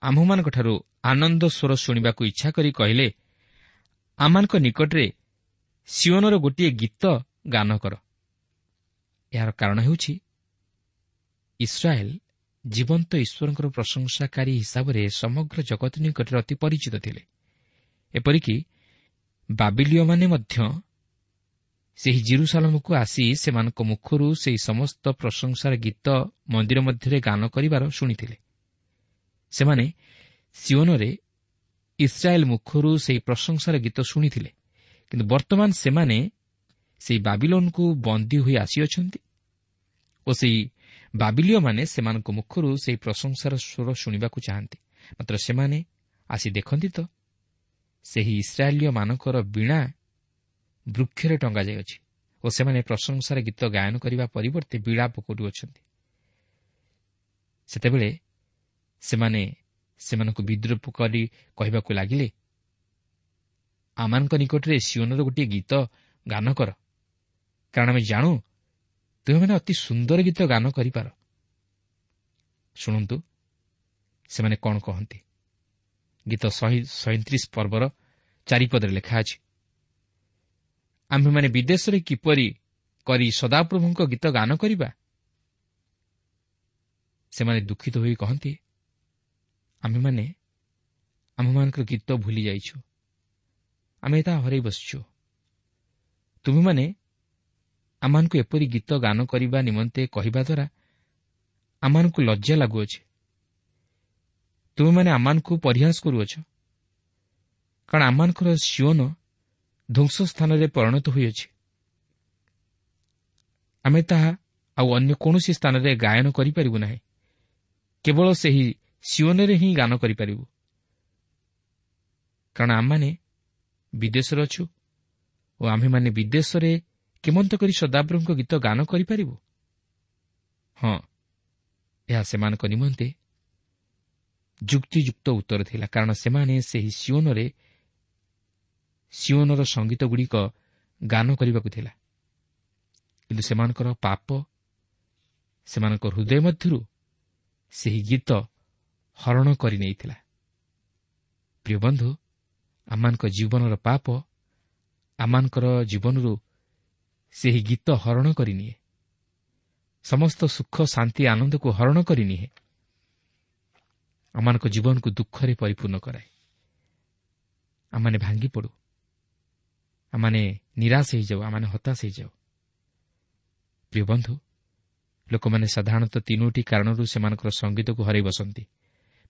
ଆମ୍ଭମାନଙ୍କଠାରୁ ଆନନ୍ଦ ସ୍ୱର ଶୁଣିବାକୁ ଇଚ୍ଛା କରି କହିଲେ, ଆମମାନଙ୍କ ନିକଟରେ ସିଓନର ଗୋଟିଏ ଗୀତ ଗାନ କର। ଏହାର କାରଣ ହେଉଛି ଇସ୍ରାଏଲ ଜୀବନ୍ତ ଈଶ୍ୱରଙ୍କର ପ୍ରଶଂସାକାରୀ ହିସାବରେ ସମଗ୍ର ଜଗତ ନିକଟରେ ଅତି ପରିଚିତ ଥିଲେ। ଏପରିକି ବାବିଲୀୟମାନେ ମଧ୍ୟ ସେହି ଜିରୁସାଲମକୁ ଆସି ସେମାନଙ୍କ ମୁଖରୁ ସେହି ସମସ୍ତ ପ୍ରଶଂସାର ଗୀତ ମନ୍ଦିର ମଧ୍ୟରେ ଗାନ କରିବାର ଶୁଣିଥିଲେ। ସେମାନେ ସିଓନରେ ଇସ୍ରାଏଲ ମୁଖରୁ ସେହି ପ୍ରଶଂସାର ଗୀତ ଶୁଣିଥିଲେ, କିନ୍ତୁ ବର୍ତ୍ତମାନ ସେମାନେ ସେହି ବାବିଲୋନକୁ ବନ୍ଦୀ ହୋଇ ଆସିଅଛନ୍ତି ଓ ସେହି ବାବିଲୀୟମାନେ ସେମାନଙ୍କ ମୁଖରୁ ସେହି ପ୍ରଶଂସାର ସ୍ୱର ଶୁଣିବାକୁ ଚାହାନ୍ତି। ମାତ୍ର ସେମାନେ ଆସି ଦେଖନ୍ତି ତ ସେହି ଇସ୍ରାଏଲୀୟମାନଙ୍କର ବୀଣା ବୃକ୍ଷରେ ଟଙ୍ଗାଯାଇଅଛି ଓ ସେମାନେ ପ୍ରଶଂସାର ଗୀତ ଗାୟନ କରିବା ପରିବର୍ତ୍ତେ ବିଳାପ କରୁଅଛନ୍ତି। ସେତେବେଳେ ସେମାନେ ସେମାନଙ୍କୁ ବିଦ୍ରୂପ କରି କହିବାକୁ ଲାଗିଲେ, ଆମମାନଙ୍କ ନିକଟରେ ସିଓନର ଗୋଟିଏ ଗୀତ ଗାନ କର, କାରଣ ଆମେ ଜାଣୁ ତୁମେମାନେ ଅତି ସୁନ୍ଦର ଗୀତ ଗାନ କରିପାର। ଶୁଣନ୍ତୁ ସେମାନେ କ'ଣ କହନ୍ତି। ଗୀତ 137 ପର୍ବର 4 ପଦରେ ଲେଖା ଅଛି, ଆମ୍ଭେମାନେ ବିଦେଶରେ କିପରି କରି ସଦାପ୍ରଭୁଙ୍କ ଗୀତ ଗାନ କରିବା? ସେମାନେ ଦୁଃଖିତ ହୋଇ କହନ୍ତି, ଆମ୍ଭେମାନେ ଆମ୍ଭମାନଙ୍କର ଗୀତ ଭୁଲି ଯାଇଛୁ, ଆମେ ତାହା ହରାଇ ବସିଛୁ। ତୁମେମାନେ ଆମମାନଙ୍କୁ ଏପରି ଗୀତ ଗାନ କରିବା ନିମନ୍ତେ କହିବା ଦ୍ୱାରା ଆମମାନଙ୍କୁ ଲଜ୍ଜା ଲାଗୁଅଛି। ତୁମେମାନେ ଆମମାନଙ୍କୁ ପରିହାସ କରୁଅଛ, କାରଣ ଆମମାନଙ୍କର ସିଓନ ଧ୍ୱଂସ ସ୍ଥାନରେ ପରିଣତ ହୋଇଅଛି। ଆମେ ତାହା ଆଉ ଅନ୍ୟ କୌଣସି ସ୍ଥାନରେ ଗାୟନ କରିପାରିବୁ ନାହିଁ, କେବଳ ସେହି ସିଓନରେ ହିଁ ଗାନ କରିପାରିବୁ, କାରଣ ଆମମାନେ ବିଦେଶରେ ଅଛୁ ଓ ଆମ୍ଭେମାନେ ବିଦେଶରେ କେମନ୍ତ କରି ସଦାପ୍ରଭୁଙ୍କ ଗୀତ ଗାନ କରିପାରିବୁ? ହଁ, ଏହା ସେମାନଙ୍କ ନିମନ୍ତେ ଯୁକ୍ତିଯୁକ୍ତ ଉତ୍ତର ଥିଲା, କାରଣ ସେମାନେ ସେହି ସିଓନରେ ସିଓନର ସଙ୍ଗୀତଗୁଡ଼ିକ ଗାନ କରିବାକୁ ଥିଲା। କିନ୍ତୁ ସେମାନଙ୍କର ପାପ ସେମାନଙ୍କ ହୃଦୟ ମଧ୍ୟରୁ ସେହି ଗୀତ ହରଣ କରିନେଇଥିଲା। ପ୍ରିୟ ବନ୍ଧୁ, ଆମମାନଙ୍କ ଜୀବନର ପାପ ଆମମାନଙ୍କର ଜୀବନରୁ ସେହି ଗୀତ ହରଣ କରିନିଏ, ସମସ୍ତ ସୁଖ ଶାନ୍ତି ଆନନ୍ଦକୁ ହରଣ କରିନିଏ, ଆମମାନଙ୍କ ଜୀବନକୁ ଦୁଃଖରେ ପରିପୂର୍ଣ୍ଣ କରାଏ। ଆମମାନେ ଭାଙ୍ଗି ପଡ଼ୁ, ଆମମାନେ ନିରାଶ ହେଇଯାଉ, ଆମମାନେ ହତାଶ ହେଇଯାଉ। ପ୍ରିୟ ବନ୍ଧୁ, ଲୋକମାନେ ସାଧାରଣତଃ 3 କାରଣରୁ ସେମାନଙ୍କର ସଙ୍ଗୀତକୁ ହରାଇ ବସନ୍ତି।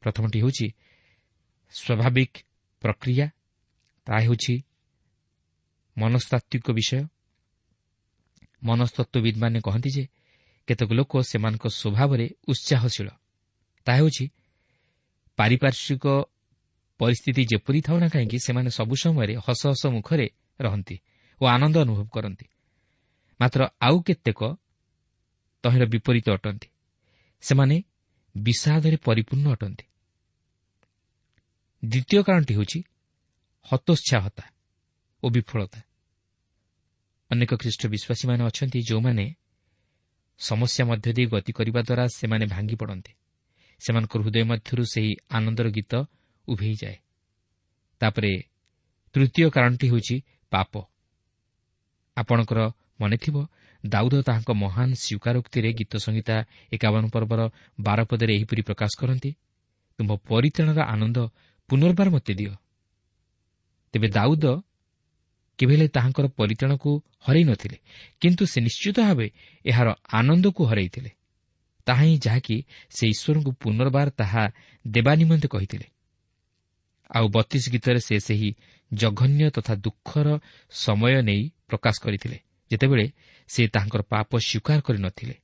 ପ୍ରଥମଟି ହେଉଛି ସ୍ୱାଭାବିକ ପ୍ରକ୍ରିୟା, ତାହା ହେଉଛି ମନସ୍ତାତ୍ତ୍ୱିକ ବିଷୟ। ମନସ୍ତତ୍ତ୍ୱବିଦ୍ମାନେ କହନ୍ତି ଯେ କେତେକ ଲୋକ ସେମାନଙ୍କ ସ୍ୱଭାବରେ ଉତ୍ସାହଶୀଳ, ତାହା ହେଉଛି ପାରିପାର୍ଶ୍ୱିକ ପରିସ୍ଥିତି ଯେପରି ଥାଉ ନା କାହିଁକି ସେମାନେ ସବୁ ସମୟରେ ହସ ହସ ମୁଖରେ ରହନ୍ତି ଓ ଆନନ୍ଦ ଅନୁଭବ କରନ୍ତି। ମାତ୍ର ଆଉ କେତେକ ତହିଁର ବିପରୀତ ଅଟନ୍ତି, ସେମାନେ ବିଷାଦରେ ପରିପୂର୍ଣ୍ଣ ଅଟନ୍ତି। ଦ୍ୱିତୀୟ କାରଣଟି ହେଉଛି ହତୋତ୍ସାହତା ଓ ବିଫଳତା। ଅନେକ ଖ୍ରୀଷ୍ଟ ବିଶ୍ୱାସୀମାନେ ଅଛନ୍ତି ଯେଉଁମାନେ ସମସ୍ୟା ମଧ୍ୟ ଦେଇ ଗତି କରିବା ଦ୍ୱାରା ସେମାନେ ଭାଙ୍ଗି ପଡ଼ନ୍ତି, ସେମାନଙ୍କ ହୃଦୟ ମଧ୍ୟରୁ ସେହି ଆନନ୍ଦର ଗୀତ ଉଭେଇଯାଏ। ତାପରେ ତୃତୀୟ କାରଣଟି ହେଉଛି ପାପ। ଆପଣଙ୍କର ମନେଥିବ ଦାଉଦ ତାହାଙ୍କ ମହାନ ସ୍ୱୀକାରୋକ୍ତିରେ ଗୀତ ସଂହିତା 51 ପର୍ବର 12 ପଦରେ ଏହିପରି ପ୍ରକାଶ କରନ୍ତି, ତୁମ୍ଭ ପରିତ୍ରାଣର ଆନନ୍ଦ ପୁନର୍ବାର ମୋତେ ଦିଅ। ତେବେ ଦାଉଦ କେବେ ହେଲେ ତାହାଙ୍କର ପରିତ୍ରାଣକୁ ହରାଇ ନଥିଲେ, କିନ୍ତୁ ସେ ନିଶ୍ଚିତ ଭାବେ ଏହାର ଆନନ୍ଦକୁ ହରାଇଥିଲେ। ତାହା ହିଁ ଯାହାକି ସେ ଈଶ୍ୱରଙ୍କୁ ପୁନର୍ବାର ତାହା ଦେବା ନିମନ୍ତେ କହିଥିଲେ। ଆଉ 32 ଗୀତରେ ସେ ସେହି ଜଘନ୍ୟ ତଥା ଦୁଃଖର ସମୟ ନେଇ ପ୍ରକାଶ କରିଥିଲେ, ଯେତେବେଳେ ସେ ତାହାଙ୍କର ପାପ ସ୍ୱୀକାର କରିନଥିଲେ।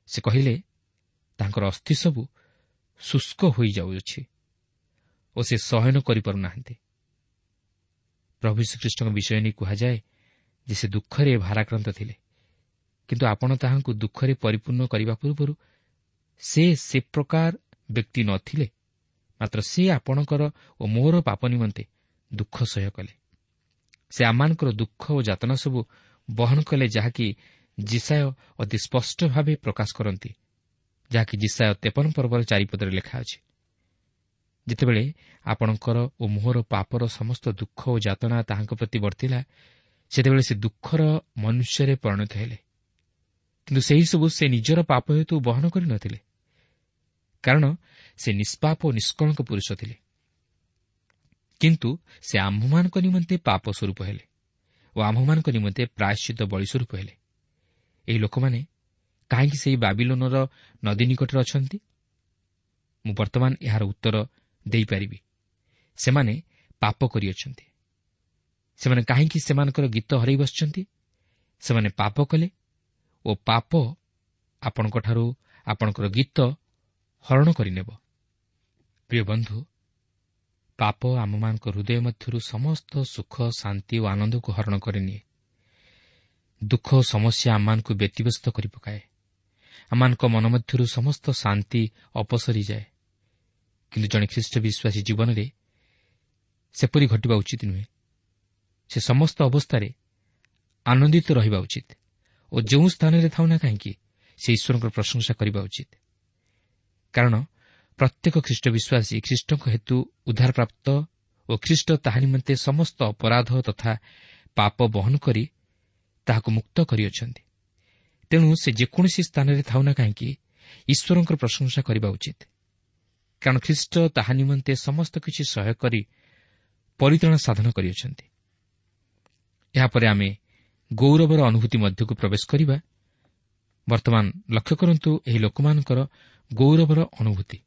ସେ କହିଲେ ତାଙ୍କର ଅସ୍ଥି ସବୁ ଶୁଷ୍କ ହୋଇଯାଉଅଛି ଓ ସେ ସହନ କରିପାରୁନାହାନ୍ତି। ପ୍ରଭୁ ଯୀଶୁଖ୍ରୀଷ୍ଟଙ୍କ ବିଷୟ ନେଇ କୁହାଯାଏ ଯେ ସେ ଦୁଃଖରେ ଭାରାକ୍ରାନ୍ତ ଥିଲେ, କିନ୍ତୁ ଆପଣ ତାହାଙ୍କୁ ଦୁଃଖରେ ପରିପୂର୍ଣ୍ଣ କରିବା ପୂର୍ବରୁ ସେ ସେ ପ୍ରକାର ବ୍ୟକ୍ତି ନଥିଲେ, ମାତ୍ର ସେ ଆପଣଙ୍କର ଓ ମୋର ପାପ ନିମନ୍ତେ ଦୁଃଖ ସହ୍ୟ କଲେ। ସେ ଆମମାନଙ୍କର ଦୁଃଖ ଓ ଯାତନା ସବୁ ବହନ କଲେ, ଯାହାକି ଯିଶାଇୟ ଅତି ସ୍ପଷ୍ଟ ଭାବେ ପ୍ରକାଶ କରନ୍ତି, ଯାହାକି ଯିଶାଇୟ 53 ପର୍ବର 4 ପଦରେ ଲେଖା ଅଛି। ଯେତେବେଳେ ଆପଣଙ୍କର ଓ ମୋହର ପାପର ସମସ୍ତ ଦୁଃଖ ଓ ଯାତନା ତାହାଙ୍କ ପ୍ରତି ବର୍ତ୍ତିଲା, ସେତେବେଳେ ସେ ଦୁଃଖର ମନୁଷ୍ୟରେ ପରିଣତ ହେଲେ। କିନ୍ତୁ ସେହିସବୁ ସେ ନିଜର ପାପ ହେତୁ ବହନ କରିନଥିଲେ, କାରଣ ସେ ନିଷ୍ପାପ ଓ ନିଷ୍କଳଙ୍କ ପୁରୁଷ ଥିଲେ। କିନ୍ତୁ ସେ ଆମ୍ଭମାନଙ୍କ ନିମନ୍ତେ ପାପ ସ୍ୱରୂପ ହେଲେ ଓ ଆମ୍ଭମାନଙ୍କ ନିମନ୍ତେ ପ୍ରାୟଶ୍ଚିତ ବଳି ସ୍ୱରୂପ ହେଲେ। ଏହି ଲୋକମାନେ କାହିଁକି ସେହି ବାବିଲୋନର ନଦୀ ନିକଟରେ ଅଛନ୍ତି? ମୁଁ ବର୍ତ୍ତମାନ ଏହାର ଉତ୍ତର ଦେଇପାରିବି। ସେମାନେ ପାପ କରିଅଛନ୍ତି। ସେମାନେ କାହିଁକି ସେମାନଙ୍କର ଗୀତ ହରାଇ ବସିଛନ୍ତି? ସେମାନେ ପାପ କଲେ ଓ ପାପ ଆପଣଙ୍କଠାରୁ ଆପଣଙ୍କର ଗୀତ ହରଣ କରିନେବ। ପ୍ରିୟ ବନ୍ଧୁ, ପାପ ଆମମାନଙ୍କ ହୃଦୟ ମଧ୍ୟରୁ ସମସ୍ତ ସୁଖ, ଶାନ୍ତି ଓ ଆନନ୍ଦକୁ ହରଣ କରିନିଏ। ଦୁଃଖ ଓ ସମସ୍ୟା ଆମମାନଙ୍କୁ ବ୍ୟତିବ୍ୟସ୍ତ କରିପକାଏ। ଆମମାନଙ୍କ ମନ ମଧ୍ୟରୁ ସମସ୍ତ ଶାନ୍ତି ଅପସରିଯାଏ। କିନ୍ତୁ ଜଣେ ଖ୍ରୀଷ୍ଟ ବିଶ୍ୱାସୀ ଜୀବନରେ ସେପରି ଘଟିବା ଉଚିତ ନୁହେଁ। ସେ ସମସ୍ତ ଅବସ୍ଥାରେ ଆନନ୍ଦିତ ରହିବା ଉଚିତ ଓ ଓ ଯେଉଁ ସ୍ଥାନରେ ଥାଉ ନା କାହିଁକି ସେ ଈଶ୍ୱରଙ୍କର ପ୍ରଶଂସା କରିବା ଉଚିତ। କାରଣ ପ୍ରତ୍ୟେକ ଖ୍ରୀଷ୍ଟ ବିଶ୍ୱାସୀ ଖ୍ରୀଷ୍ଟଙ୍କ ହେତୁ ଉଦ୍ଧାରପ୍ରାପ୍ତ ଓ ଖ୍ରୀଷ୍ଟ ତାହା ନିମନ୍ତେ ସମସ୍ତ ଅପରାଧ ତଥା ପାପ ବହନ କରି ତାହାକୁ ମୁକ୍ତ କରିଅଛନ୍ତି। ତେଣୁ ସେ ଯେକୌଣସି ସ୍ଥାନରେ ଥାଉ ନା କାହିଁକି ଈଶ୍ୱରଙ୍କର ପ୍ରଶଂସା କରିବା ଉଚିତ। କାରଣ ଖ୍ରୀଷ୍ଟ ତାହା ନିମନ୍ତେ ସମସ୍ତ କିଛି ସହ୍ୟ କରି ପରିତ୍ରାଣ ସାଧନ କରିଅଛନ୍ତି। ଏହାପରେ ଆମେ ଗୌରବର ଅନୁଭୂତି ମଧ୍ୟକୁ ପ୍ରବେଶ କରିବା। ବର୍ତ୍ତମାନ ଲକ୍ଷ୍ୟ କରନ୍ତୁ ଏହି ଲୋକମାନଙ୍କର ଗୌରବର ଅନୁଭୂତି।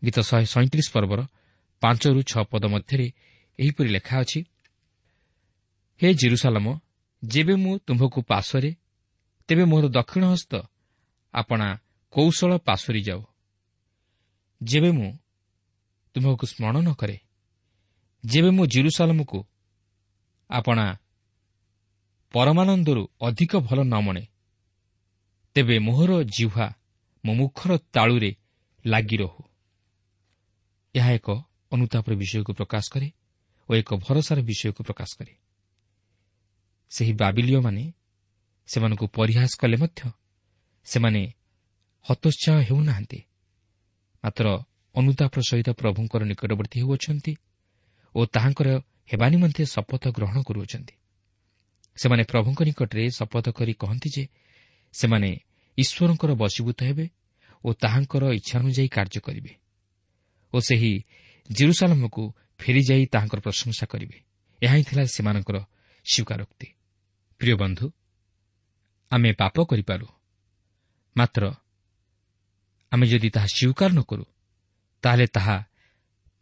ଗୀତ 137 ପର୍ବର 5-6 ପଦ ମଧ୍ୟରେ ଏହିପରି ଲେଖା ଅଛି, ହେ ଜେରୁସାଲମ, ଯେବେ ମୁଁ ତୁମ୍ଭକୁ ପାଶରେ, ତେବେ ମୋର ଦକ୍ଷିଣ ହସ୍ତ ଆପଣା କୌଶଳ ପାଶୋରି ଯାଉ। ଯେବେ ମୁଁ ତୁମ୍ଭକୁ ସ୍ମରଣ ନ କରେ, ଯେବେ ମୁଁ ଜେରୁସାଲମକୁ ଆପଣା ପରମାନନ୍ଦରୁ ଅଧିକ ଭଲ ନ ମଣେ, ତେବେ ମୋହର ଜିହ୍ୱା ମୋ ମୁଖର ତାଳୁରେ ଲାଗି ରହୁ। ଏହା ଏକ ଅନୁତାପର ବିଷୟକୁ ପ୍ରକାଶ କରେ ଓ ଏକ ଭରସାର ବିଷୟକୁ ପ୍ରକାଶ କରେ। ସେହି ବାବିଲୀୟମାନେ ସେମାନଙ୍କୁ ପରିହାସ କଲେ ମଧ୍ୟ ସେମାନେ ହତୋତ୍ସାହ ହେଉନାହାନ୍ତି, ମାତ୍ର ଅନୁତାପର ସହିତ ପ୍ରଭୁଙ୍କର ନିକଟବର୍ତ୍ତୀ ହେଉଅଛନ୍ତି ଓ ତାହାଙ୍କର ହେବା ନିମନ୍ତେ ଶପଥ ଗ୍ରହଣ କରୁଅଛନ୍ତି। ସେମାନେ ପ୍ରଭୁଙ୍କ ନିକଟରେ ଶପଥ କରି କହନ୍ତି ଯେ ସେମାନେ ଈଶ୍ୱରଙ୍କର ବଶୀଭୂତ ହେବେ ଓ ତାହାଙ୍କର ଇଚ୍ଛାନୁଯାୟୀ କାର୍ଯ୍ୟ କରିବେ ଓ ସେହି ଜେରୁସାଲମକୁ ଫେରିଯାଇ ତାହାଙ୍କର ପ୍ରଶଂସା କରିବେ। ଏହା ହିଁ ଥିଲା ସେମାନଙ୍କର ସ୍ୱୀକାରୋକ୍ତି। ପ୍ରିୟ ବନ୍ଧୁ, ଆମେ ପାପ କରିପାରୁ, ମାତ୍ର ଆମେ ଯଦି ତାହା ସ୍ୱୀକାର ନ କରୁ, ତାହେଲେ ତାହା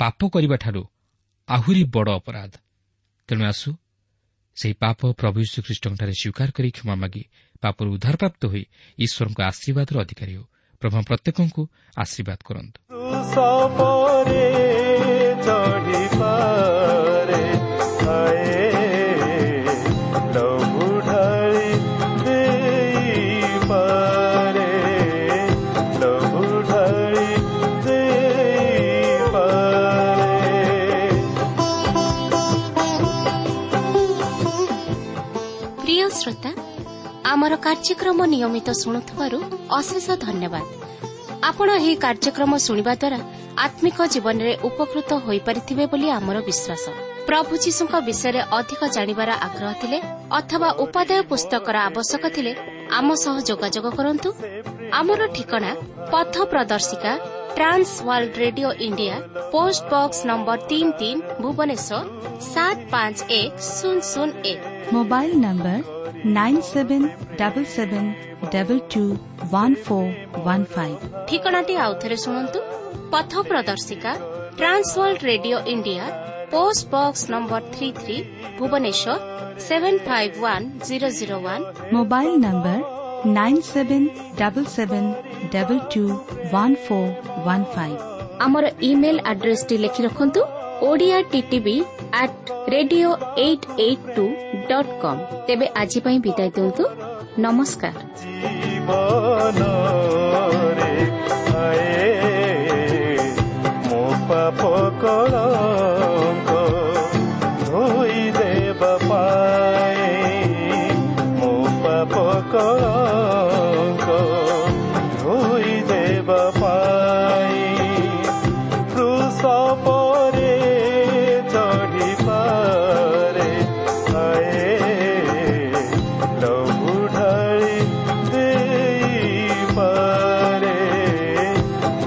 ପାପ କରିବାଠାରୁ ଆହୁରି ବଡ଼ ଅପରାଧ। ତେଣୁ ଆସୁ ସେହି ପାପ ପ୍ରଭୁ ଯୀଶୁଖ୍ରୀଷ୍ଟଙ୍କଠାରେ ସ୍ୱୀକାର କରି କ୍ଷମା ମାଗି ପାପରୁ ଉଦ୍ଧାରପ୍ରାପ୍ତ ହୋଇ ଈଶ୍ୱରଙ୍କ ଆଶୀର୍ବାଦର ଅଧିକାରୀ ହେଉ। ପ୍ରଭୁ ପ୍ରତ୍ୟେକଙ୍କୁ ଆଶୀର୍ବାଦ କରନ୍ତୁ। ପ୍ରିୟ ଶ୍ରୋତା, ଆମର କାର୍ଯ୍ୟକ୍ରମ ନିୟମିତ ଶୁଣୁଥିବାରୁ ଅଶେଷ ଧନ୍ୟବାଦ। ଆପଣ ଏହି କାର୍ଯ୍ୟକ୍ରମ ଶୁଣିବା ଦ୍ୱାରା ଆତ୍ମିକ ଜୀବନରେ ଉପକୃତ ହୋଇପାରିଥିବେ ବୋଲି ଆମର ବିଶ୍ୱାସ। ପ୍ରଭୁ ଯୀଶୁଙ୍କ ବିଷୟରେ ଅଧିକ ଜାଣିବାର ଆଗ୍ରହ ଥିଲେ ଅଥବା ଉପାଦେୟ ପୁସ୍ତକର ଆବଶ୍ୟକ ଥିଲେ ଆମ ସହ ଯୋଗାଯୋଗ କରନ୍ତୁ। ଆମର ଠିକଣା ପଥ ପ୍ରଦର୍ଶିକା, Trans World Radio India, post box number 33, Bhubaneswar 751001। Mobile number 9777221415। ଠିକଣାଟି ଆଉଥରେ ଶୁଣନ୍ତୁ। ପଥ ପ୍ରଦର୍ଶିକା, Trans World Radio India, post box number 33, Bhubaneswar 751001। Mobile number 9777221415। ଆମର ଇମେଲ୍ ଆଡ୍ରେସଟି ଲେଖି ରଖନ୍ତୁ, Odia TTV at radio 882.com। ତେବେ ଆଜି ପାଇଁ ବିଦାୟ ଦିଅନ୍ତୁ। ନମସ୍କାର। ଜୀବନରେ ଆଏ ମୋ ପାପ କଳଙ୍କ ଧୋଇ ଦେବା ପାଇଁ, ମୋ ପାପ କଳଙ୍କ ଧୋଇ ଦେବା ପାଇଁ କ୍ରୁଶ ପରେ ଚଢ଼ିପାରେ ଆଏ ଲହୁ ଢାଳି ଦେଇପାରେ,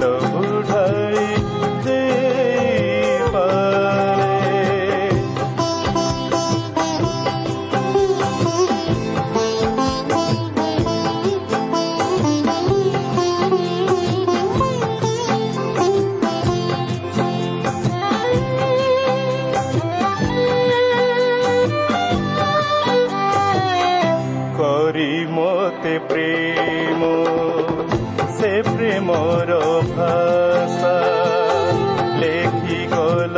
ଲହୁ ଢାଳି ଦେଇପାରେ। କରି ମତେ ପ୍ରେମ ସେ ପ୍ରେମର ଭାଷା ଲେଖି ଗଲ।